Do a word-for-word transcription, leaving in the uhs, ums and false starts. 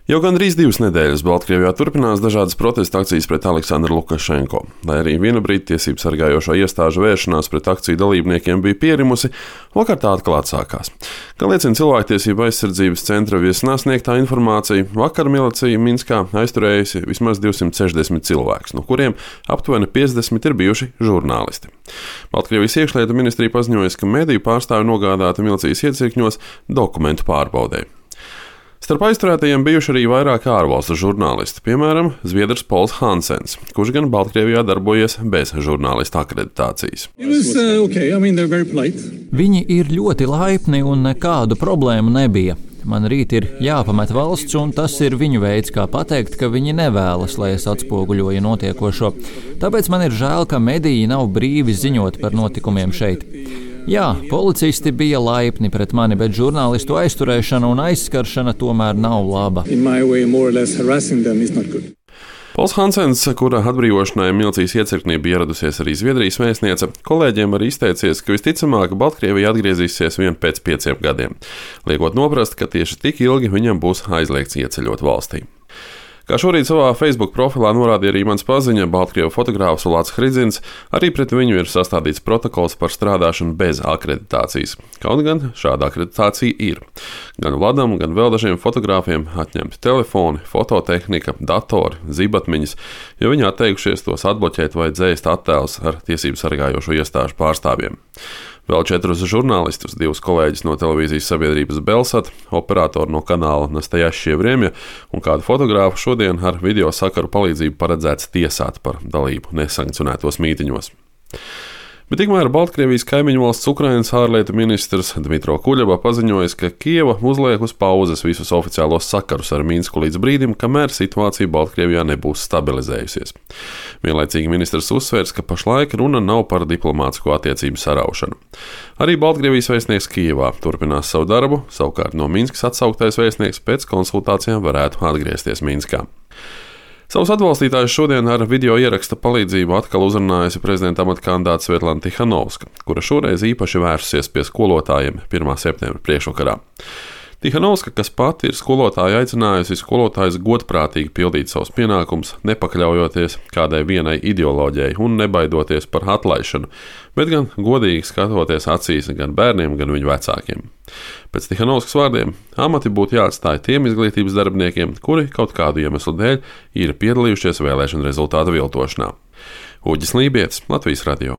Jau gandrīz divas nedēļas Baltkrievijā turpinās dažādas protesta akcijas pret Aleksandru Lukašenko. Lai arī vienu brīdi tiesību sargājošo iestāžu vēršanās pret akciju dalībniekiem bija pierimusi, vakar tā atkal atsākās. Kā liecina cilvēktiesību aizsardzības centra viesnā sniegtā informācija, vakar milicija Minskā aizturējusi vismaz divsimt sešdesmit cilvēkus, no kuriem aptuveni piecdesmit ir bijuši žurnālisti. Baltkrievijas iekšlietu ministrija paziņoja, ka mediju pārstāvi nogādāti milicijas iecirkņos dokumentu pārbaudē. Starp aizturētajiem bijuši arī vairāki ārvalstu žurnālisti, piemēram, zviedrs Pols Hansens, kurš gan Baltkrievijā darbojies bez žurnālista akreditācijas. Was, uh, okay. I mean, Viņi ir ļoti laipni un nekādu problēmu nebija. Man rīt ir jāpamet valsts, un tas ir viņu veids, kā pateikt, ka viņi nevēlas, lai es atspoguļoju notiekošo. Tāpēc man ir žēl, ka mediji nav brīvi ziņot par notikumiem šeit. Jā, policisti bija laipni pret mani, bet žurnālistu aizturēšana un aizskaršana tomēr nav laba. Way, Pols Hansens, kura atbrīvošanai milicijas iecirknī bija ieradusies arī Zviedrijas vēstniece, kolēģiem arī izteicies, ka visticamāk Baltkrievija atgriezīsies vien pēc pieciem gadiem, liekot noprast, ka tieši tik ilgi viņam būs aizliegts ieceļot valstī. Kā šorīt savā Facebook profilā norādīja arī mans paziņa, Baltkrievu fotogrāfs Ulāts Hridzins, arī pret viņu ir sastādīts protokols par strādāšanu bez akreditācijas. Kaut gan šāda akreditācija ir. Gan Vladam, gan vēl dažiem fotogrāfiem atņemti telefoni, fototehnika, datori, zibatmiņas, jo viņi atteikušies tos atbloķēt vai dzēst attēlus ar tiesību sargājošo iestāžu pārstāvjiem. Vēl četrus žurnālistus, divus kolēģus no televīzijas sabiedrības Belsat, operatoru no kanāla Nastajašie Vriemja un kādu fotogrāfu šodien ar video sakaru palīdzību paredzēts tiesāt par dalību nesankcionētos mītiņos. Bet tikmēr Baltkrievijas kaimiņu valsts Ukrainas ārlietu ministrs Dmitro Kuļeba paziņoja, ka Kieva uzliek uz pauzes visus oficiālos sakarus ar Minsku līdz brīdim, kamēr situācija Baltkrievijā nebūs stabilizējusies. Vienlaicīgi ministrs uzsvērs, ka pašlaik runa nav par diplomātisko attiecību saraušanu. Arī Baltkrievijas vēstnieks Kijevā turpinās savu darbu, savukārt no Minskas atsauktais vēstnieks pēc konsultācijām varētu atgriezties Minskā. Savus atbalstītājus šodien ar video ieraksta palīdzību atkal uzrunājusi prezidenta amata kandidāte Svetlana Tihanovska, kura šoreiz īpaši vērsusies pie skolotājiem pirmā septembra priekšvakarā. Tihanovska, kas pati ir skolotāja, aicinājusi skolotājus godprātīgi pildīt savus pienākumus, nepakļaujoties kādai vienai ideoloģijai un nebaidoties par atlaišanu, bet gan godīgi skatoties acīs gan bērniem, gan viņu vecākiem. Pēc Tihanovskas vārdiem amati būtu jāatstāj tiem izglītības darbiniekiem, kuri kaut kādu iemeslu dēļ ir piedalījušies vēlēšanu rezultātu viltošanā. Uģis Lībietis, Latvijas radio.